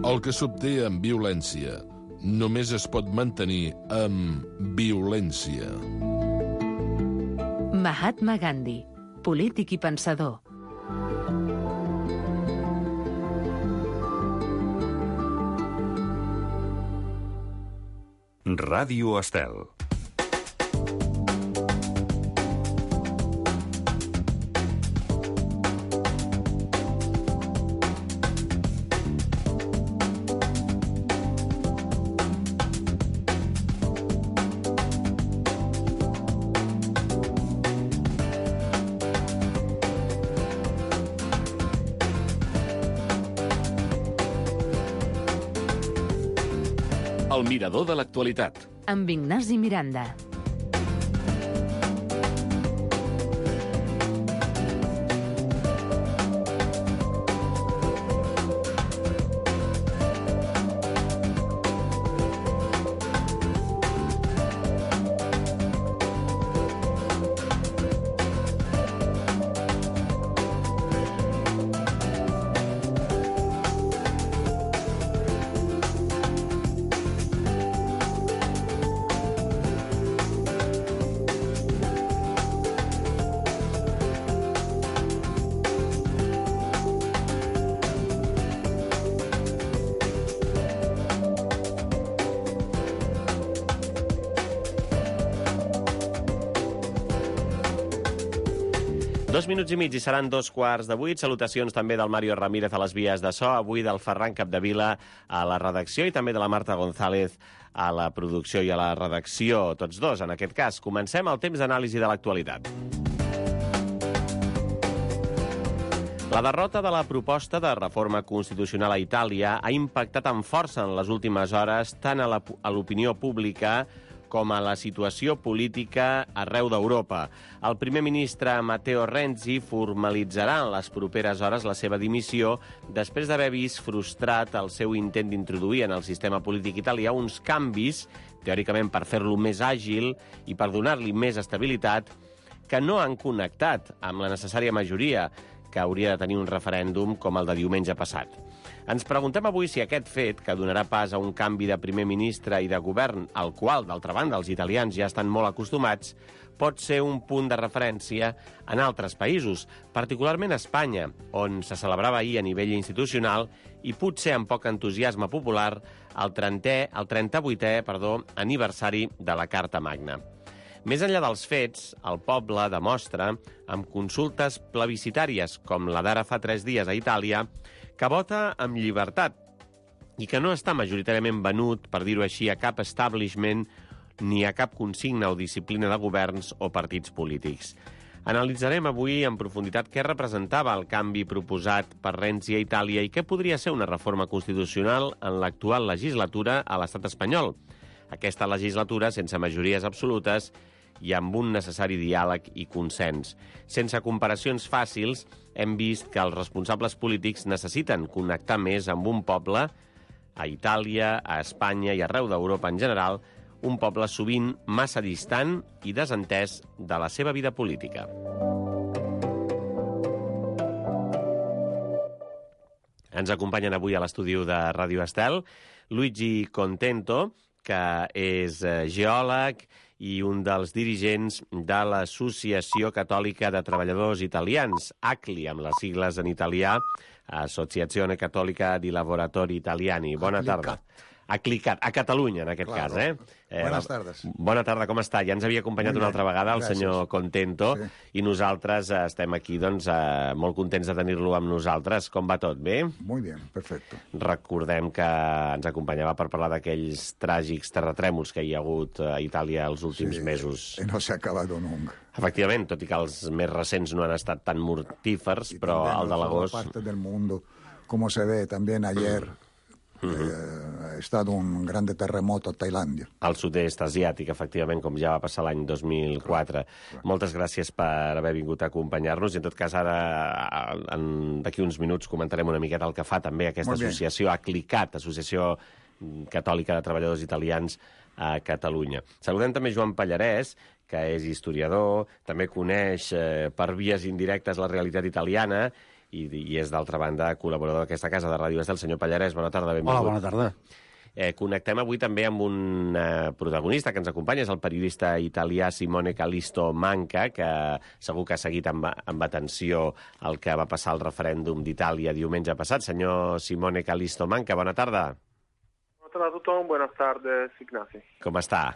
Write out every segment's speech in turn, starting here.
El que s'obté amb violència només es pot mantenir amb violència. Mahatma Gandhi, polític i pensador. Ràdio Estel. El mirador de l'actualitat. Amb Ignasi Miranda. Dos minuts i mig i seran 2:15. Salutacions també del Mario Ramírez a les vies de so, avui del Ferran Capdevila a la redacció i també de la Marta González a la producció i a la redacció, tots dos en aquest cas. Comencem el temps d'anàlisi de l'actualitat. La derrota de la proposta de reforma constitucional a Itàlia ha impactat amb força en les últimes hores tant a l'opinió pública com a la situació política arreu d'Europa. El primer ministre Matteo Renzi formalitzarà en les properes hores la seva dimissió després d'haver vist frustrat el seu intent d'introduir en el sistema polític italià uns canvis, teòricament per fer-lo més àgil i per donar-li més estabilitat, que no han connectat amb la necessària majoria que hauria de tenir un referèndum com el de diumenge passat. Ens preguntem avui si aquest fet, que donarà pas a un canvi de primer ministre i de govern, al qual, d'altra banda, els italians ja estan molt acostumats, pot ser un punt de referència en altres països, particularment a Espanya, on se celebrava ahir a nivell institucional i potser amb poc entusiasme popular el 38è aniversari de la Carta Magna. Més enllà dels fets, el poble demostra, amb consultes plebiscitàries com la d'ara fa 3 dies a Itàlia, que vota amb llibertat i que no està majoritàriament venut, per dir-ho així, a cap establishment ni a cap consigna o disciplina de governs o partits polítics. Analitzarem avui en profunditat què representava el canvi proposat per Renzi a Itàlia i què podria ser una reforma constitucional en l'actual legislatura a l'estat espanyol. Aquesta legislatura sense majories absolutes i amb un necessari diàleg i consens. Sense comparacions fàcils, hem vist que els responsables polítics necessiten connectar més amb un poble, a Itàlia, a Espanya i arreu d'Europa en general, un poble sovint massa distant i desentès de la seva vida política. Ens acompanyen avui a l'estudi de Ràdio Estel Luigi Contento, que és geòleg i un dels dirigents de l'Associació Catòlica de Treballadors Italians, ACLI, amb les sigles en italià, Associazione Cattolica di Lavoratori Italiani. Bona tarda. Aclicat, a Catalunya, en aquest cas, eh? Buenas tardes. Bona tarda, com està? Ja ens havia acompanyat una altra vegada el senyor Contento, i nosaltres estem aquí, doncs, molt contents de tenir-lo amb nosaltres. Com va tot? Bé? Muy bien, perfecto. Recordem que ens acompanyava per parlar d'aquells tràgics terratrèmols que hi ha hagut a Itàlia els últims mesos. No s'ha acabat nunca. Efectivament, tot i que els més recents no han estat tan mortífers, però el de l'agost... parte del mundo, como se ve también ayer, ha estat un gran terremoto a Tailàndia. Al sud-est asiàtic, efectivament, com ja va passar l'any 2004. Moltes gràcies per haver vingut a acompanyar-nos, i en tot cas ara, d'aquí uns minuts, comentarem una miqueta el que fa també aquesta associació, ACLICAT, Associació Catòlica de Treballadors Italians a Catalunya. Saludem també Joan Pallarès, que és historiador, també coneix per vies indirectes la realitat italiana, i és, d'altra banda, col·laborador d'aquesta casa de Ràdio Estel, el senyor Pallarès. Bona tarda, benvingut. Hola, bona tarda. Connectem avui també amb un protagonista que ens acompanya, és el periodista italià Simone Callisto Manca, que segur que ha seguit amb atenció el que va passar al referèndum d'Itàlia diumenge passat. Senyor Simone Callisto Manca, bona tarda. Buenas tardes a todos, buenas tardes, Ignasi. Com està?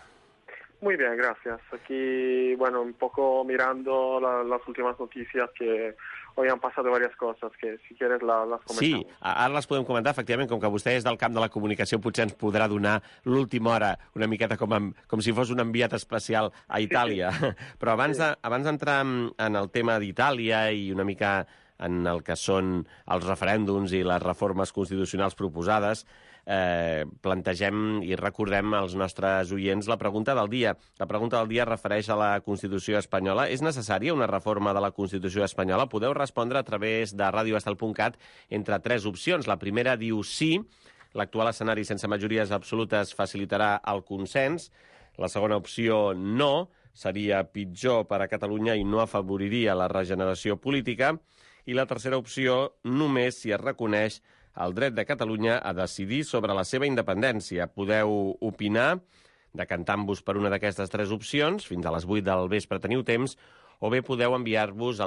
Muy bien, gracias. Aquí, bueno, un poco mirando las últimas noticias que hoy han pasado varias cosas, que si quieres las comentamos. Sí, ara les podem comentar, efectivament, com que vostè és del camp de la comunicació, potser ens podrà donar l'última hora una miqueta com si fos un enviat especial a Itàlia. Sí. Però abans d'entrar en el tema d'Itàlia i una mica en el que són els referèndums i les reformes constitucionals proposades, plantegem i recordem als nostres oients la pregunta del dia. La pregunta del dia es refereix a la Constitució espanyola. És necessària una reforma de la Constitució espanyola? Podeu respondre a través de radioestel.cat entre 3 opcions. La primera diu sí, l'actual escenari sense majories absolutes facilitarà el consens. La segona opció, no, seria pitjor per a Catalunya i no afavoriria la regeneració política. I la tercera opció, només si es reconeix el dret de Catalunya a decidir sobre la seva independència. Podeu opinar, decantant-vos per una d'aquestes 3 opcions, fins a les 8 del vespre teniu temps, o bé podeu enviar-nos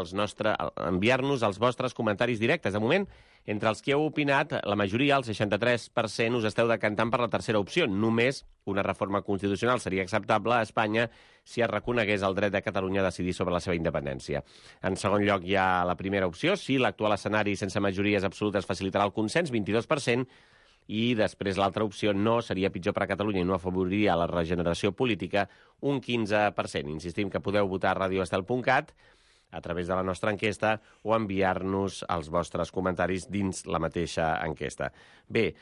els vostres comentaris directes. De moment, entre els que heu opinat, la majoria, el 63%, us esteu decantant per la tercera opció. Només una reforma constitucional seria acceptable a Espanya si es reconegués el dret de Catalunya a decidir sobre la seva independència. En segon lloc hi ha la primera opció, sí, l'actual escenari sense majories absolutes facilitarà el consens, 22%, i després l'altra opció, no, seria pitjor per a Catalunya i no afavoriria la regeneració política, un 15%. Insistim que podeu votar a radioestel.cat a través de la nostra enquesta o enviar-nos els vostres comentaris dins la mateixa enquesta. Bé,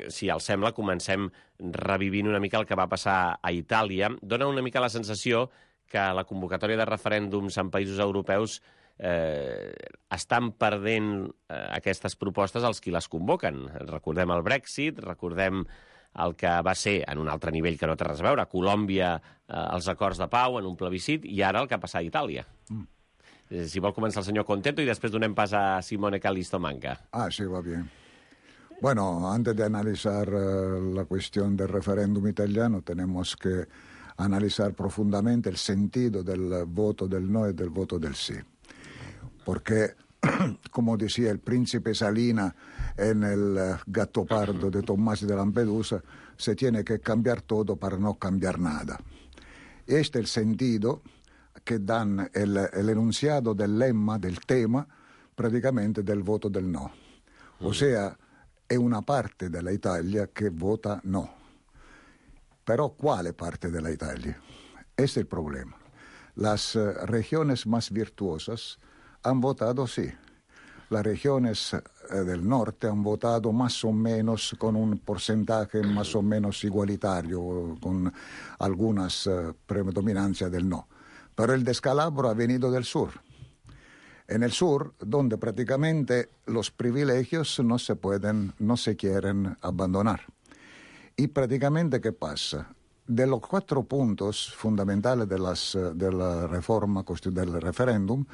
si els sembla, comencem revivint una mica el que va passar a Itàlia. Dóna una mica la sensació que la convocatòria de referèndums en països europeus estan perdent aquestes propostes els qui les convoquen. Recordem el Brexit, recordem el que va ser, en un altre nivell que no té res a veure, a Colòmbia, els acords de pau en un plebiscit, i ara el que ha passat a Itàlia. Si vol començar el senyor Contento i després donem pas a Simone Callisto Manca. Sí, va bien. Bueno, antes de analizar la cuestión del referéndum italiano, tenemos que analizar profundamente el sentido del voto del no y del voto del sí. Porque, como decía el príncipe Salina en el Gattopardo de Tommaso de Lampedusa, se tiene que cambiar todo para no cambiar nada. Este es el sentido que dan el enunciado del lemma, del tema, praticamente del voto del no. O sea, è una parte della Italia che vota no. Però quale parte della Italia? Este es el problema. Las regiones más virtuosas han votado sí. Las regiones del norte han votado más o menos con un porcentaje más o menos igualitario, con algunas predominancias del no. Pero el descalabro ha venido del sur. En el sur, donde prácticamente los privilegios no se quieren abandonar. Y prácticamente, ¿qué pasa? De los 4 puntos fundamentales de la reforma del referéndum,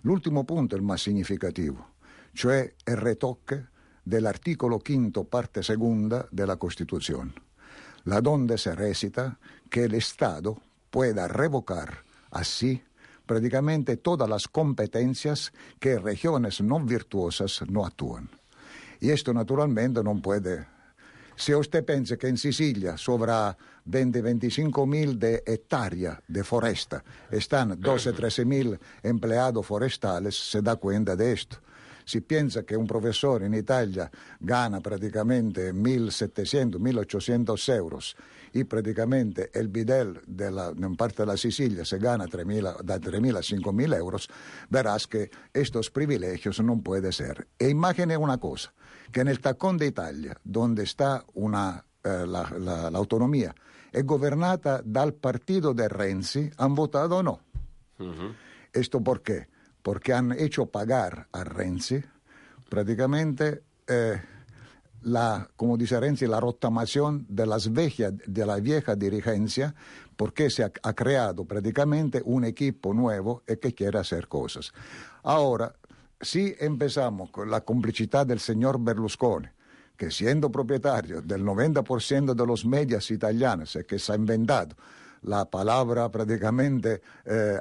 l'ultimo punto è il más significativo, cioè il retocque dell'articolo 5, parte segunda della Costituzione, la donde se recita que el Estado pueda revocar así prácticamente todas las competencias que regiones no virtuosas no actúan. Y esto naturalmente non puede. Se usted pensa che in Sicilia sobre 20-25 de hectáreas de foresta están 12-13 mil empleados forestales, se da cuenta de esto. Si piensa che un professore in Italia gana praticamente 1.700-1.800 euros y praticamente el bidel en parte de la Sicilia se gana da 3.000 a 5.000 euros, verás que estos privilegios no pueden ser. E imagine una cosa, que en el tacón de Italia, donde está la autonomía, è governata dal partito de Renzi, han votado no. ¿Esto por qué? Porque han hecho pagar a Renzi prácticamente como dice Renzi, la rottamación de la vieja dirigencia, porque se ha creado prácticamente un equipo nuevo que quiere hacer cosas. Ahora, si empezamos con la complicidad del señor Berlusconi, que siendo propietario del 90% de los medios italianos, que se ha inventado la palabra prácticamente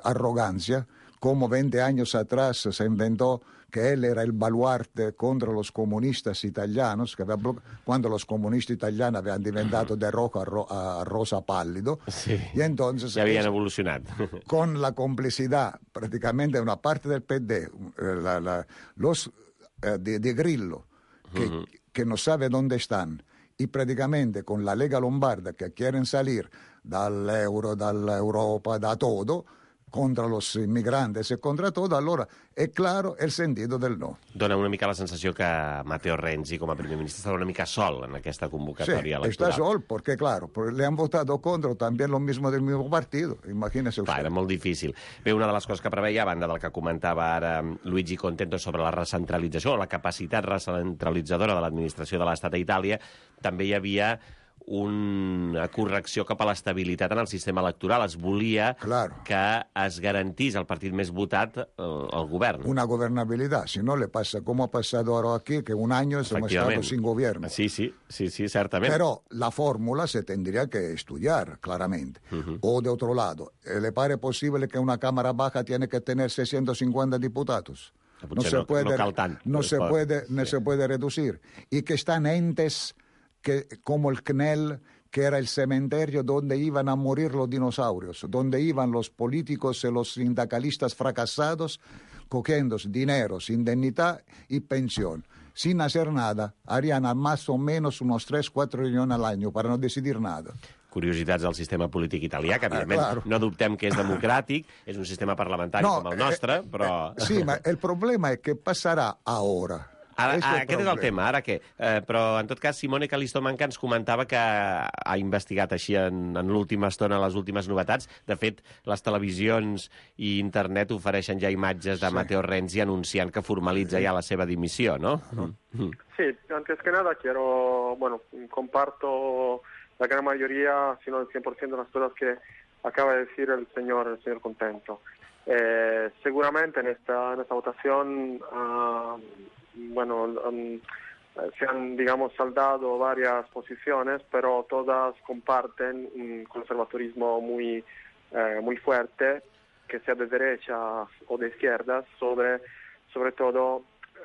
arrogancia, como 20 años atrás se inventó que él era el baluarte contra los comunistas italianos, cuando los comunistas italianos habían diventato de rojo a rosa pálido, sí, y entonces ya habían evolucionado. Con la complicidad prácticamente de una parte del PD, los de Grillo, que no sabe dónde están, y prácticamente con la Lega Lombarda que quieren salir dall'euro, dall'Europa, da todo, contra los inmigrantes e contra todo, allora è claro el sentido del no. Dona una mica la sensació que Matteo Renzi, com a primer ministre, estava una mica sol en aquesta convocatòria electoral. Está sol, porque claro, le han votado contra también lo mismo del mismo partido, imagínese usted. Clar, era molt difícil. Bé, una de les coses que preveia, a banda del que comentava ara Luigi Contento sobre la recentralització, la capacitat recentralitzadora de l'administració de l'Estat a Itàlia, també hi havia una correcció cap a l'estabilitat en el sistema electoral. Es volia que es garantís el partit més votat al govern. Una gobernabilidad, si no le pasa como ha pasado ahora aquí, que un año hemos estado sin gobierno. Sí, certament. Pero la fórmula se tendría que estudiar claramente. O de otro lado, ¿le parece posible que una Cámara Baja tiene que tener 650 diputados? No se puede reducir. Y que están entes como el CNEL, que era el cementerio donde iban a morir los dinosaurios, donde iban los políticos y los sindicalistas fracasados, cogiendo dineros, indemnidad y pensión. Sin hacer nada, harían más o menos unos 3-4 millones al año para no decidir nada. Curiositats del sistema polític italià, que evidentment no dubtem que és democràtic, és un sistema parlamentari com el nostre, però... Sí, ma el problema è che passerà ora. Aquest és el tema, ara què? Però, en tot cas, Simone Callisto-Manca ens comentava que ha investigat així en l'última estona les últimes novetats. De fet, les televisions i internet ofereixen ja imatges de Matteo Renzi anunciant que formalitza ja la seva dimissió, ¿no? Sí, antes que nada comparto la gran mayoría, si no el 100% de las cosas que acaba de decir el señor Contento. Seguramente en esta votación se han, saldado varias posiciones, pero todas comparten un conservadurismo muy fuerte, que sea de derechas o de izquierdas, sobre todo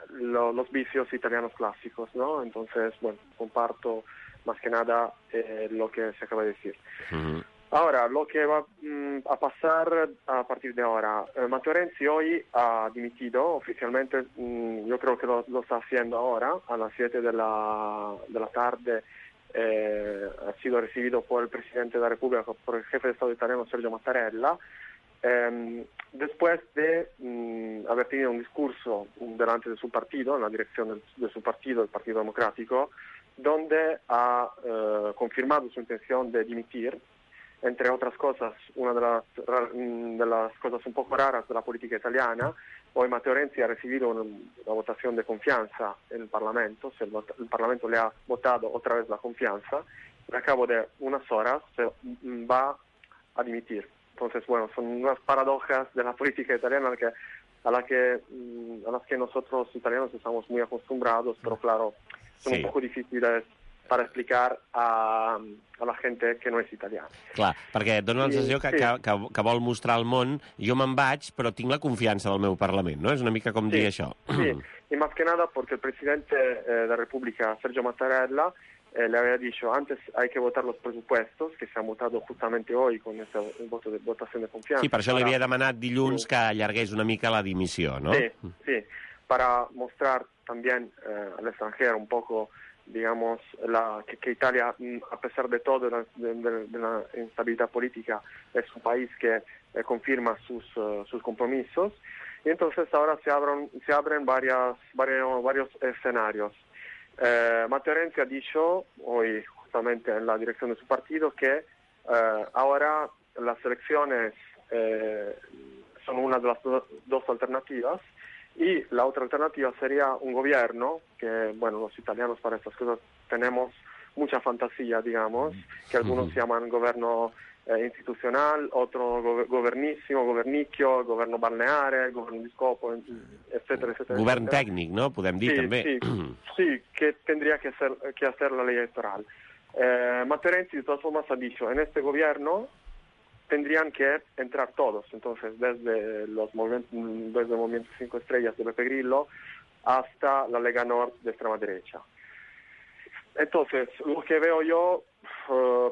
los vicios italianos clásicos, ¿no? Entonces, comparto más que nada lo que se acaba de decir. Ahora, lo que va a pasar a partir de ahora. Matteo Renzi hoy ha dimitido oficialmente, yo creo que lo está haciendo ahora, a las 7 de la tarde. Ha sido recibido por el presidente de la República, por el jefe de Estado italiano Sergio Mattarella, después de haber tenido un discurso delante de su partido, en la dirección de su partido, el Partido Democrático, donde ha confirmado su intención de dimitir. Entre otras cosas, una de las cosas un poco raras de la política italiana, hoy Matteo Renzi ha recibido una votación de confianza en el Parlamento, el Parlamento le ha votado otra vez la confianza, y al cabo de unas horas se va a dimitir. Entonces, son unas paradojas de la política italiana a las que nosotros italianos estamos muy acostumbrados, pero claro, son un poco difíciles per explicar a la gente que no és italiana. Clar, perquè et dona la sensació que vol mostrar al món jo me'n vaig, però tinc la confiança del meu Parlament, ¿no? És una mica com dir això. Sí, y más que nada porque el presidente de la República, Sergio Mattarella, le había dicho, antes hay que votar los presupuestos, que se han votado justamente hoy con este voto de votación de confianza. Sí, per això li havia demanat dilluns que allargués una mica la dimissió, ¿no? Sí, para mostrar también al extranjero un poco que Italia, a pesar de todo, de la instabilidad política, es un país que confirma sus compromisos. Y entonces ahora se abren varios escenarios. Matteo Renzi ha dicho hoy, justamente en la dirección de su partido, que ahora las elecciones son una de las dos alternativas. Y la otra alternativa sería un gobierno, que los italianos para estas cosas tenemos mucha fantasía, que algunos llaman gobierno institucional, otro governísimo, governicchio, governo balneare, governo di scopo, etcétera, etcétera. Govern tècnic, no? Podem dir, també. Sí, que tendría que hacer la ley electoral. Matteo Renzi, de todas formas, ha dicho, en este gobierno tendrían que entrar todos, entonces desde el Movimiento 5 Estrellas de Pepe Grillo hasta la Lega Nord de extrema derecha. Entonces, lo que veo yo,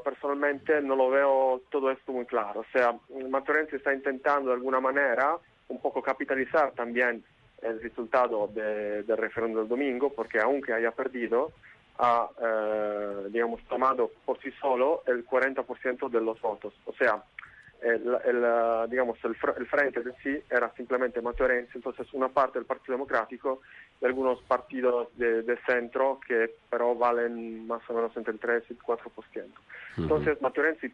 personalmente, no lo veo todo esto muy claro. O sea, Matteo Renzi está intentando de alguna manera un poco capitalizar también el resultado del referéndum del domingo, porque aunque haya perdido, ha, digamos, tomado por sí solo el 40% de los votos. O sea, el frente de sí era simplemente Matteo Renzi, entonces una parte del Partido Democrático y algunos partidos de centro que pero valen más o menos entre el 3 y el 4%. Entonces Matteo Renzi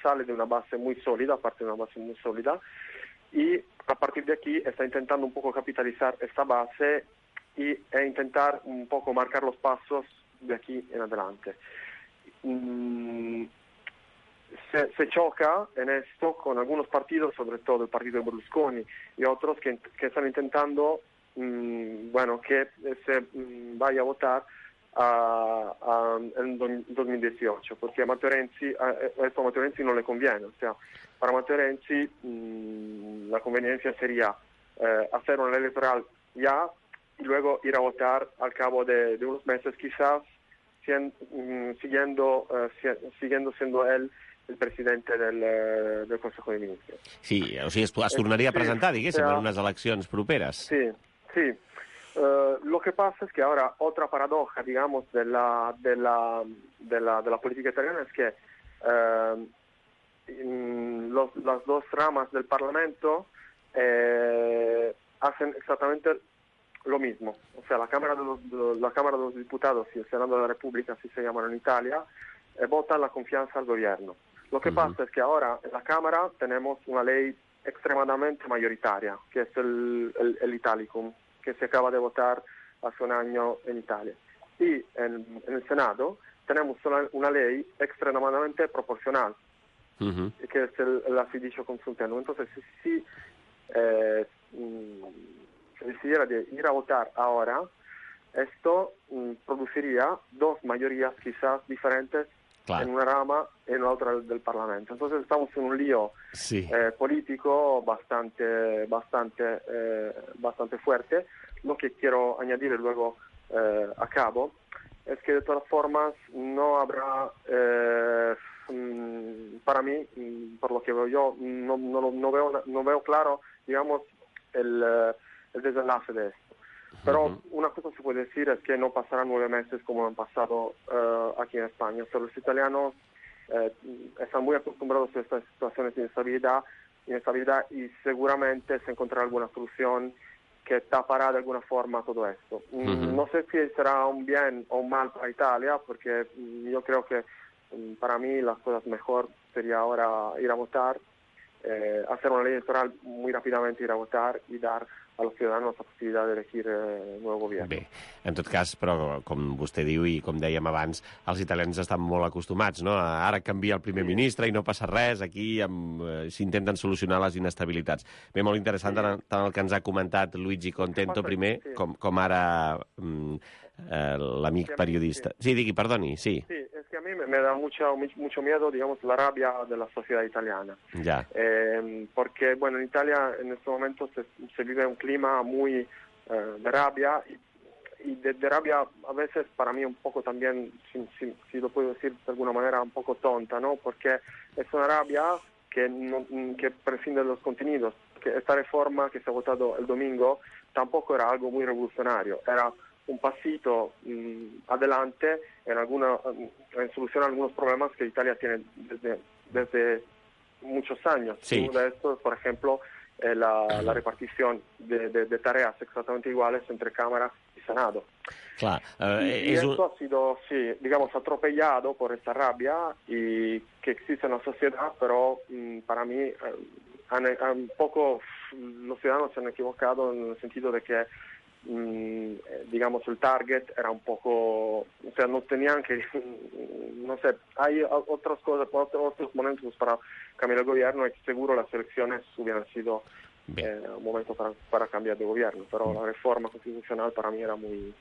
sale de una base muy sólida, parte de una base muy sólida, y a partir de aquí está intentando un poco capitalizar esta base e intentar un poco marcar los pasos de aquí en adelante. Se choca en esto con algunos partidos, sobre todo el partido de Berlusconi y otros que están intentando que se vaya a votar en 2018, porque a Matteo Renzi no le conviene. O sea, para Matteo Renzi la conveniencia sería hacer una ley electoral ya y luego ir a votar al cabo de unos meses, quizás siguiendo siendo él el presidente del Consejo de Ministros. Sí, o sigui, es tornaria a presentar, diguéssim, en unes eleccions properes. Sí. Lo que pasa es que ahora otra paradoja, digamos, de la política italiana es que las dos ramas del Parlamento hacen exactamente lo mismo. O sea, la Cámara de los Diputados y el Senado de la República, así se llaman en Italia, votan la confianza al gobierno. Lo que pasa es que ahora en la Cámara tenemos una ley extremadamente mayoritaria, que es el Italicum, que se acaba de votar hace un año en Italia. Y en el Senado tenemos una ley extremadamente proporcional, que es la fiducia consultando. Entonces, si se decidiera de ir a votar ahora, esto produciría dos mayorías quizás diferentes en una rama y en la otra del Parlamento. Entonces estamos en un lío político bastante fuerte. Lo que quiero añadir y luego acabo es que de todas formas no habrá, para mí, por lo que veo yo, no veo claro, digamos, el desenlace de esto. Pero una cosa se puede decir es que no pasarán 9 meses como han pasado aquí en España. Pero los italianos están muy acostumbrados a estas situaciones de inestabilidad y seguramente se encontrará alguna solución que tapará de alguna forma todo esto. No sé si será un bien o un mal para Italia, porque yo creo que para mí las cosas mejor sería ahora ir a votar, hacer una ley electoral muy rápidamente, ir a votar y dar a los ciudadanos la possibilitat d'elegir el nou govern. Bé, en tot cas, però com vostè diu i com dèiem abans, els italians estan molt acostumats, no? Ara canvia el primer ministre i no passa res, aquí s'intenten solucionar les inestabilitats. Bé, molt interessant tant el que ens ha comentat Luigi Contento primer, com ara l'amic periodista. Sí, digui, perdoni, sí. Sí, es que a mí me da mucho miedo, digamos, la rabia de la sociedad italiana. Ya. Porque, bueno, en Italia en este momento se vive un clima muy de rabia y de rabia a veces para mí un poco también, si lo puedo decir de alguna manera, un poco tonta, ¿no? Porque es una rabia que prescinde de los contenidos. Que esta reforma que se ha votado el domingo tampoco era algo muy revolucionario, era un pasito adelante en solucionar algunos problemas que Italia tiene desde muchos años. Sí. Uno de estos, por ejemplo, la repartición de tareas exactamente iguales entre Cámara y Senado. Clar, y esto ha sido, sí, digamos, atropellado por esta rabia y que existe en la sociedad, pero para mí un poco los ciudadanos se han equivocado en el sentido de que digamos, el target era un poco, o sea, no tenían que, no sé, hay otras cosas, otros momentos para cambiar el gobierno, y seguro las elecciones hubieran sido un momento para cambiar de gobierno, però la reforma constitucional per a mi era muy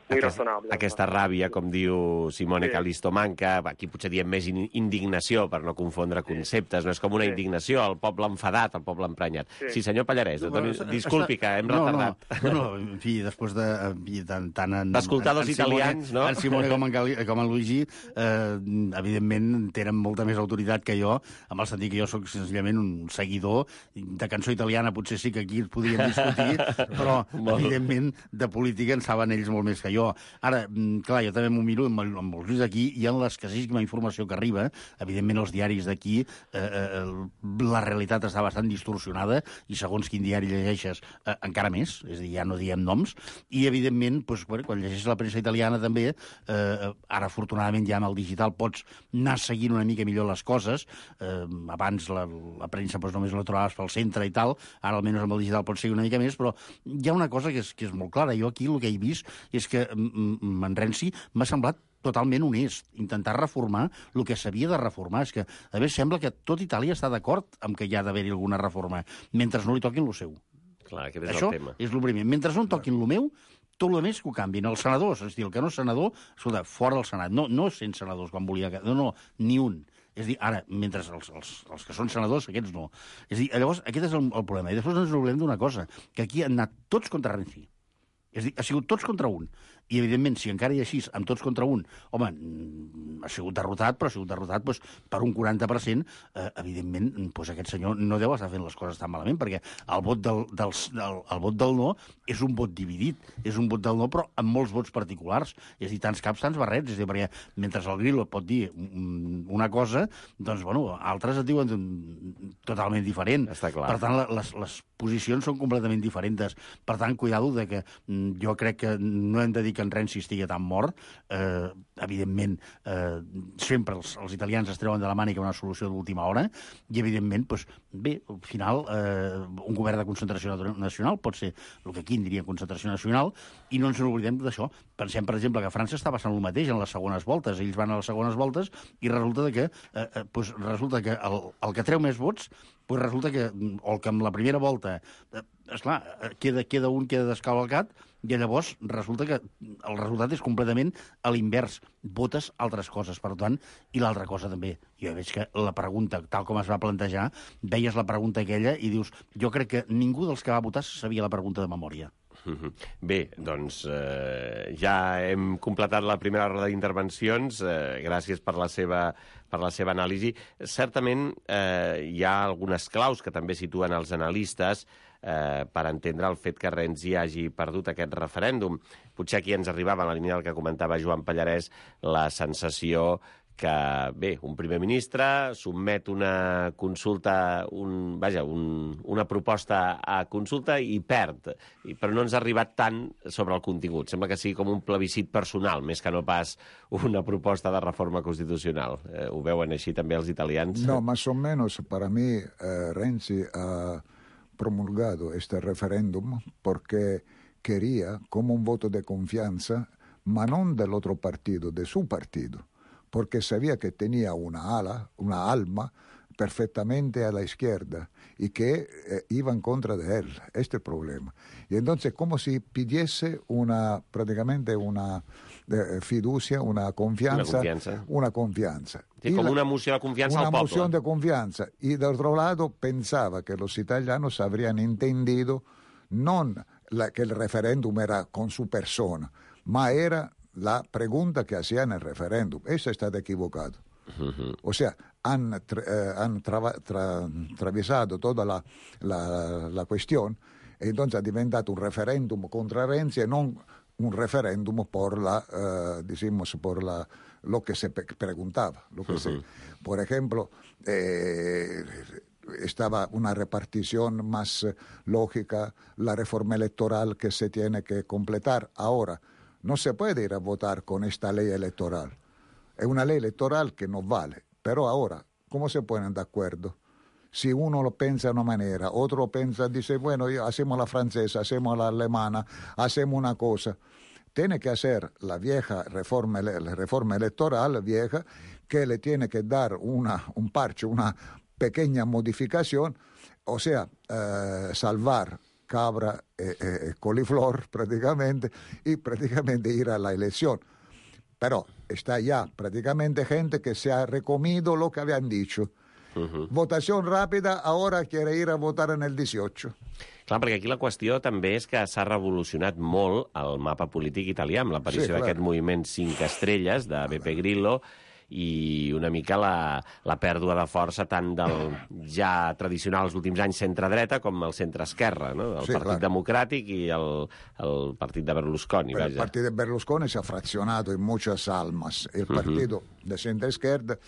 razonable. Aquesta ràbia, com diu Simone Callisto Manca, aquí potser diem més indignació, per no confondre conceptes, no és com una indignació, el poble enfadat, el poble emprenyat. Sí, senyor Pallarès, disculpi que hem retardat. No, en fi, després d'escoltar dos italians, no? En Simone com en Luigi, evidentment tenen molta més autoritat que jo, amb el sentit que jo soc senzillament un seguidor de cançó italiana, potser sí que aquí es podien discutir, però evidentment de política en saben ells molt més que jo. Ara, clar, jo també m'ho miro amb els ulls d'aquí, i en l'escassíssima informació que arriba, evidentment els diaris d'aquí, la realitat està bastant distorsionada, i segons quin diari llegeixes, encara més, és a dir, ja no diem noms, i evidentment, quan llegeixes la premsa italiana també, ara afortunadament ja amb el digital pots anar seguint una mica millor les coses, abans la premsa només la trobaves pel centre i tal, ara almenys amb el digital pots seguir una mica més, però hi ha una cosa que és molt clara. Jo aquí el que he vist és que en Renzi m'ha semblat totalment honest, intentar reformar el que s'havia de reformar. És que, a més, sembla que tot Itàlia està d'acord amb que hi ha d'haver-hi alguna reforma, mentre no li toquin lo seu. Clar, aquest és això el tema. És el primer. Mentre no toquin lo meu, tot el més que ho canvin. Els senadors, és a dir, el que no és senador, escolta, fora del Senat. No 100 senadors quan volia... No, ni un. És a dir, ara, mentre els que són senadors, aquests no. És a dir, llavors, aquest és el problema. I després ens oblidem d'una cosa, que aquí han anat tots contra Renzi. És a dir, ha sigut tots contra un. I, evidentment, si encara hi ha així, amb tots contra un, home, ha sigut derrotat, però ha sigut derrotat per un 40%, evidentment, aquest senyor no deu estar fent les coses tan malament, perquè el vot del no és un vot dividit, és un vot del no, però amb molts vots particulars. És a dir, tants caps, tants barrets. És a dir, perquè mentre el Grillo pot dir una cosa, doncs, bueno, altres et diuen totalment diferent. Està clar. Per tant, les posicions són completament diferents. Per tant, cuidado de que jo crec que no hem de dir que en Renzi estigui tan mort. Evidentment, sempre els italians es treuen de la mànica una solució d'última hora, i evidentment, bé, al final, un govern de concentració nacional pot ser el que aquí en diria concentració nacional, i no ens n'oblidem d'això. Pensem, per exemple, que a França està passant el mateix en les segones voltes. Ells van a les segones voltes i resulta que el que treu més vots, resulta que, o que amb la primera volta, esclar, queda un, queda descavalcat, i llavors resulta que el resultat és completament a l'invers. Votes altres coses, per tant, i l'altra cosa també. Jo veig que la pregunta, tal com es va plantejar, veies la pregunta aquella i dius, jo crec que ningú dels que va votar sabia la pregunta de memòria. Bé, doncs ja hem completat la primera roda d'intervencions. Gràcies per la seva anàlisi. Certament hi ha algunes claus que també situen els analistes per entendre el fet que Renzi hagi perdut aquest referèndum. Potser aquí ens arribava, en la línia del que comentava Joan Pallarès, la sensació que, bé, un primer ministre sotmet una consulta, una proposta a consulta i perd, però no ens ha arribat tant sobre el contingut. Sembla que sigui com un plebiscit personal, més que no pas una proposta de reforma constitucional. Ho veuen així també els italians? No, más o menos, para mí, Renzi ha promulgado este referéndum porque quería como un voto de confianza, ma non del otro partido, de su partido, porque sabía que tenía una alma perfectamente a la izquierda y que iba en contra de él. Este es el problema. Y entonces como si pidiese prácticamente una fiducia, una confianza. Una confianza. Sí, como una moción de confianza al pueblo. Una moción de confianza. Y del otro lado pensaba que los italianos habrían entendido que el referéndum era con su persona, ma era la pregunta que hacía en el referéndum. Eso está equivocado. O sea, han atravesado toda la cuestión, e entonces ha diventato un referéndum contra Renzi e non un referéndum por lo que se preguntaba. Por ejemplo, estaba una repartición más lógica, la reforma electoral que se tiene que completar. Ahora, no se puede ir a votar con esta ley electoral. Es una ley electoral que no vale. Pero ahora, ¿cómo se ponen de acuerdo? si uno lo piensa de una manera, otro piensa, dice, bueno, hacemos la francesa, hacemos la alemana, hacemos una cosa. Tiene que hacer la reforma electoral vieja, que le tiene que dar un parche, una pequeña modificación, o sea, salvar cabra coliflor prácticamente, y prácticamente ir a la elección. Pero está ya prácticamente gente que se ha recomido lo que habían dicho. Votación rápida, ahora quiere ir a votar en el 18. Clar, perquè aquí la qüestió també és que s'ha revolucionat molt el mapa polític italià amb l'aparició d'aquest moviment 5 estrelles de Beppe Grillo i una mica la pèrdua de força tant del ja tradicional els últims anys centre-dreta com el centre-esquerra, no? El Partit Democràtic i el Partit de Berlusconi. El Partit de Berlusconi si ha fraccionato in muchas almas. El Partido de centro-izquierda,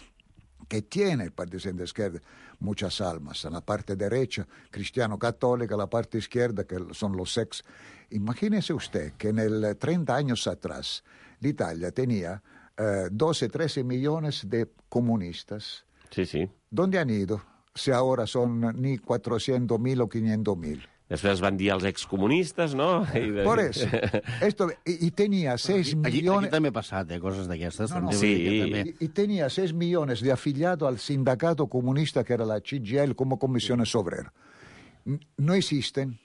que tiene el Partido de centro-izquierda muchas almas. En la parte derecha, cristiano-católica, la parte izquierda, que son los ex. Imagínese usted que en el 30 años atrás l'Italia tenía 12, 13 millones de comunistas. Sí, sí. ¿Dónde han ido? Si ahora son ni 400.000 o 500.000. Després van dir els excomunistes, no? Por eso. Y tenía 6 millones... Aquí també ha passat, coses d'aquestes. No, sí. Y tenía 6 millones de afiliados al sindicato comunista que era la CGIL como comisiones obreras. No existen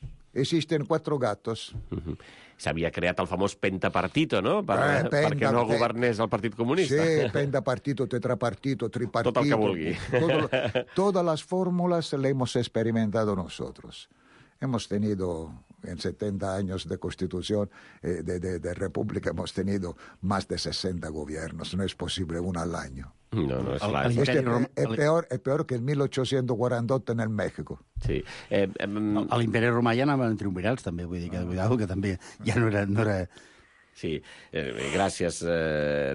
4 gatos. S'havia creat el famós pentapartito, no? Perquè no governés el Partit Comunista. Sí, pentapartito, tetrapartito, tripartito. Tot el que vulgui. Todas las fórmulas las hemos experimentado nosotros. Hemos tenido, en 70 años de constitución, de república, hemos tenido más de 60 gobiernos. No es posible uno al año. No, és clar. Es peor que el 1848 en el México. Sí. A l'imperi romà ja anaven triumvirals, també, vull dir que, cuidado, que també ja no era... Sí, gràcies.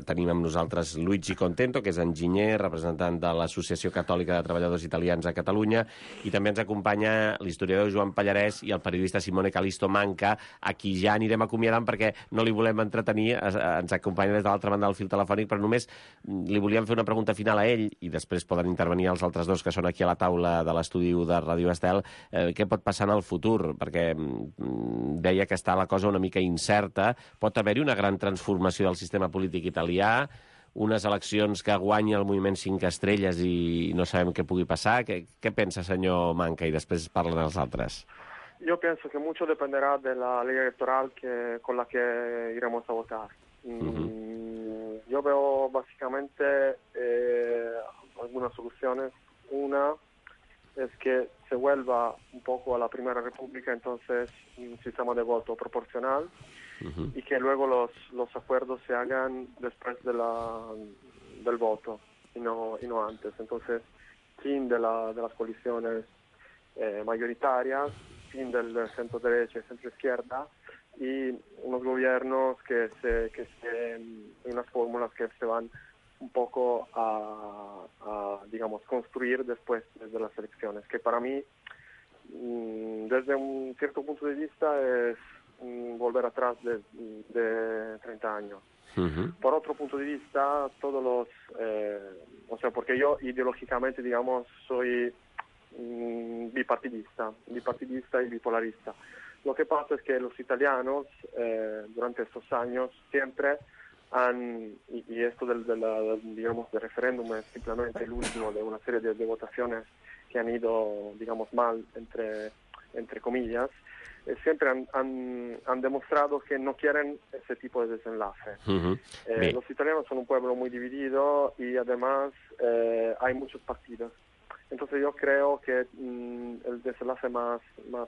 Tenim amb nosaltres Luigi Contento, que és enginyer, representant de l'Associació Catòlica de Treballadors Italians a Catalunya, i també ens acompanya l'historiador Joan Pallarès i el periodista Simone Calisto Manca, a qui ja anirem acomiadant perquè no li volem entretenir, ens acompanya des de l'altra banda del fil telefònic, però només li volíem fer una pregunta final a ell, i després poden intervenir els altres dos que són aquí a la taula de l'estudi de Ràdio Estel. Què pot passar en el futur? Perquè deia que està la cosa una mica incerta. Pot haver una gran transformació del sistema polític italià, unes eleccions que guanyi el moviment 5 estrelles i no sabem què pugui passar. Què pensa, senyor Manca? I després parlen els altres. Yo pienso que mucho dependerá de la ley electoral con la que iremos a votar. Yo veo básicamente algunas soluciones. Una es que se vuelva un poco a la Primera República, entonces un sistema de voto proporcional, y que luego los acuerdos se hagan después del voto y no antes. Entonces, fin de las coaliciones mayoritarias, fin del centro derecha y centro izquierda, y unos gobiernos que unas fórmulas que se van un poco a digamos, construir después de las elecciones, que para mí, desde un cierto punto de vista, es volver atrás de 30 años. Por otro punto de vista, o sea, porque yo ideológicamente, digamos, soy bipartidista y bipolarista. Lo que pasa es que los italianos, durante estos años, siempre y esto digamos, del referéndum es simplemente el último de una serie de votaciones que han ido, digamos, mal, entre comillas, siempre han demostrado que no quieren ese tipo de desenlace. Los italianos son un pueblo muy dividido y además hay muchos partidos. Entonces yo creo que el desenlace más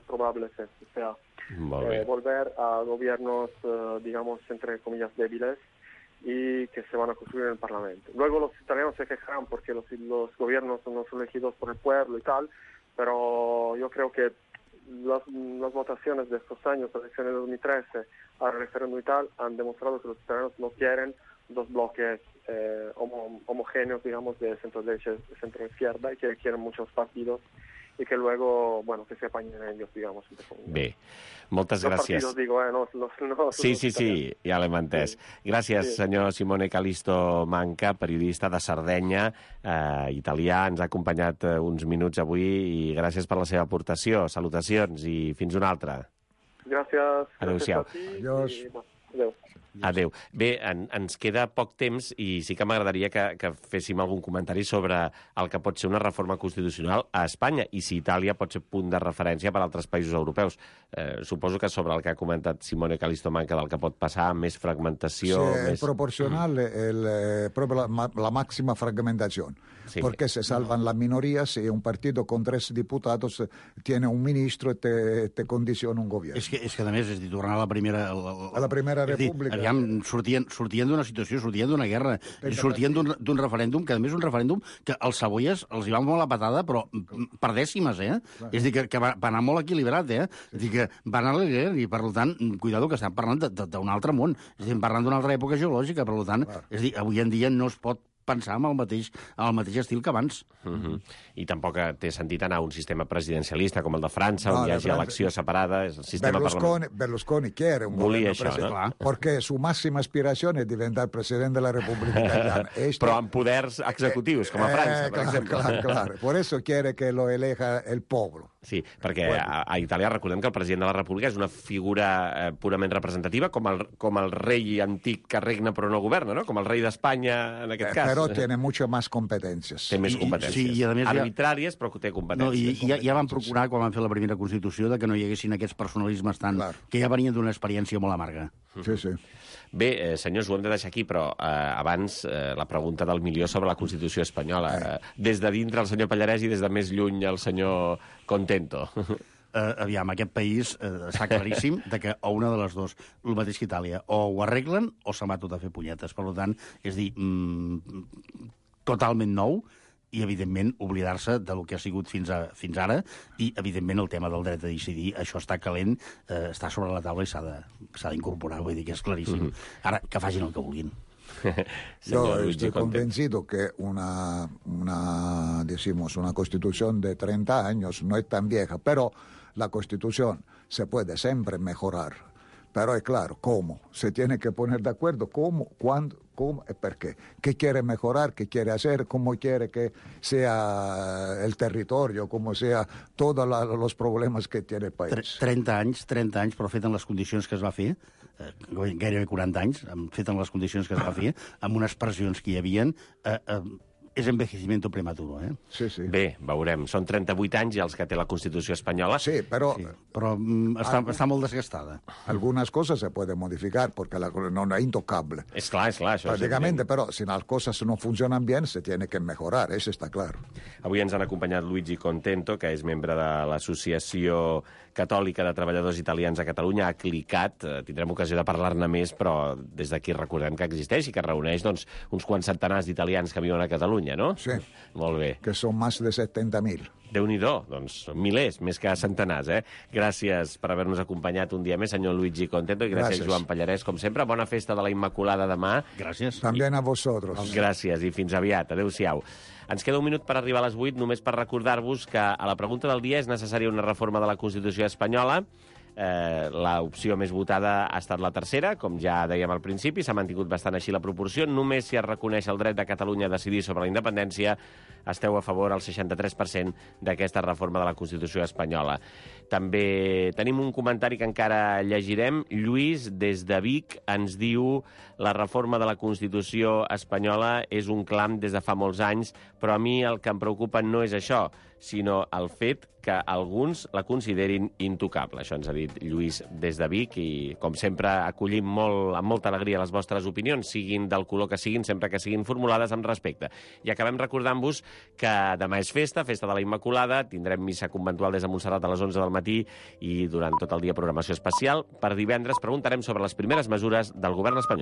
probable es este, o sea, volver a gobiernos, digamos, entre comillas, débiles, y que se van a construir en el Parlamento. Luego los italianos se quejarán porque los gobiernos no son elegidos por el pueblo y tal, pero yo creo que las votaciones de estos años, las elecciones de 2013, al referéndum y tal, han demostrado que los italianos no quieren dos bloques homogéneos, digamos, de centro-derecha y centro-izquierda, y que quieren muchos partidos y que luego, bueno, que se apañen ellos, digamos. Bé, moltes Los gràcies. partidos, digo, no, Sí, ja l'hem entès. Gràcies, senyor Simone Calisto Manca, periodista de Sardenya, italià. Ens ha acompanyat uns minuts avui i gràcies per la seva aportació. Salutacions i fins una altra. Gràcies. Adéu-siau. Adiós. Adéu. Adéu. Bé, ens queda poc temps i sí que m'agradaria que féssim algun comentari sobre el que pot ser una reforma constitucional a Espanya i si Itàlia pot ser punt de referència per a altres països europeus. Suposo que sobre el que ha comentat Simone Calisto Manca del que pot passar, més fragmentació... Sí, es proporcional proprio la máxima fragmentación. Sí. Porque se salvan las minorías y un partido con 3 diputados tiene un ministro y te condiciona un gobierno. És que a més, és dir, tornar a la primera... A la Primera República. Aviam, sortien d'una situació, sortien d'una guerra, sortien d'un referèndum, que a més un referèndum que els Saboies els hi va molt la patada, però per dècimes, Clar. És a dir, que va anar molt equilibrat, És a dir, que va anar a l'Eguer i, per tant, cuidado, que estem parlant d'un altre món, és a dir, parlant d'una altra època geològica, per tant, és a dir, avui en dia no es pot pensar amb el mateix estil que abans. I tampoc té sentit anar a un sistema presidencialista com el de França, on hi hagi elecció separada. És el sistema Berlusconi quiere un volia gobierno això, presidencial, porque su máxima aspiración es diventar presidente de la República Italiana. Però amb poders executius, com a França, per exemple. Claro. Por eso quiere que lo elija el pueblo. Sí, perquè a Itàlia recordem que el president de la República és una figura purament representativa, com el rei antic que regna però no governa, no? Com el rei d'Espanya, en aquest cas. Pero tiene mucho más competencias. Té més competències. Sí, i a més arbitràries, però que té competències. No, i ja van procurar, quan van fer la primera Constitució, que no hi haguessin aquests personalismes que ja venien d'una experiència molt amarga. Sí. Bé, senyors, ho hem de deixar aquí, però abans la pregunta del milió sobre la Constitució espanyola. Des de dintre el senyor Pallarès i des de més lluny el senyor Contento. Aviam, aquest país està claríssim que o una de les dues, el mateix que Itàlia, o ho arreglen o se'n va tot a fer punyetes. Per tant, és dir, totalment nou, i, evidentment, oblidar-se del que ha sigut fins ara, i, evidentment, el tema del dret a decidir, això està calent, està sobre la taula i s'ha d'incorporar, vull dir que és claríssim. Ara, que facin el que vulguin. Yo estoy convencido que una Constitución de 30 años no es tan vieja, pero la Constitución se puede siempre mejorar. Pero es claro, ¿cómo? Se tiene que poner de acuerdo cómo, cuándo, cómo y por qué. ¿Qué quiere mejorar? ¿Qué quiere hacer? ¿Cómo quiere que sea el territorio? ¿Cómo sea todos los problemas que tiene el país? 30 anys, però fet en les condicions que es va fer, gairebé 40 anys, fet en les condicions que es va fer, amb unes pressions que hi havien, és envejecimiento prematuro, Sí. Bé, veurem. Són 38 anys i els que té la Constitució espanyola. Sí, però està molt desgastada. Algunas cosas se pueden modificar porque no es intocable. És clar. Això prácticamente, però si las cosas no funcionan bien, se tiene que mejorar, eso está claro. Avui ens han acompanyat Luigi Contento, que és membre de l'Associació Catòlica de Treballadors Italians a Catalunya, ACLICAT. Tindrem ocasió de parlar-ne més, però des d'aquí recordem que existeix i que reuneix uns quants centenars d'italians que viuen a Catalunya, no? Sí. Molt bé. Que són més de 70.000. Déu-n'hi-do, doncs milers, més que centenars, Gràcies per haver-nos acompanyat un dia més, senyor Luigi Contento, i gràcies. Joan Pallarès, com sempre. Bona festa de la Immaculada demà. Gràcies. También a vosotros. Gràcies, i fins aviat. Adéu-siau. Ens queda un minut per arribar a les 8, només per recordar-vos que a la pregunta del dia és necessària una reforma de la Constitució espanyola. L'opció més votada ha estat la tercera, com ja dèiem al principi, s'ha mantingut bastant així la proporció. Només si es reconeix el dret de Catalunya a decidir sobre la independència esteu a favor al 63% d'aquesta reforma de la Constitució espanyola. També tenim un comentari que encara llegirem. Lluís, des de Vic, ens diu: la reforma de la Constitució espanyola és un clam des de fa molts anys, però a mi el que em preocupa no és això, sinó el fet que alguns la considerin intocable. Això ens ha dit Lluís des de Vic i, com sempre, acollim amb molta alegria les vostres opinions, siguin del color que siguin, sempre que siguin formulades amb respecte. I acabem recordant-vos que demà és festa de la Immaculada, tindrem missa conventual des de Montserrat a les 11 del matí i durant tot el dia programació especial. Per divendres preguntarem sobre les primeres mesures del govern espanyol.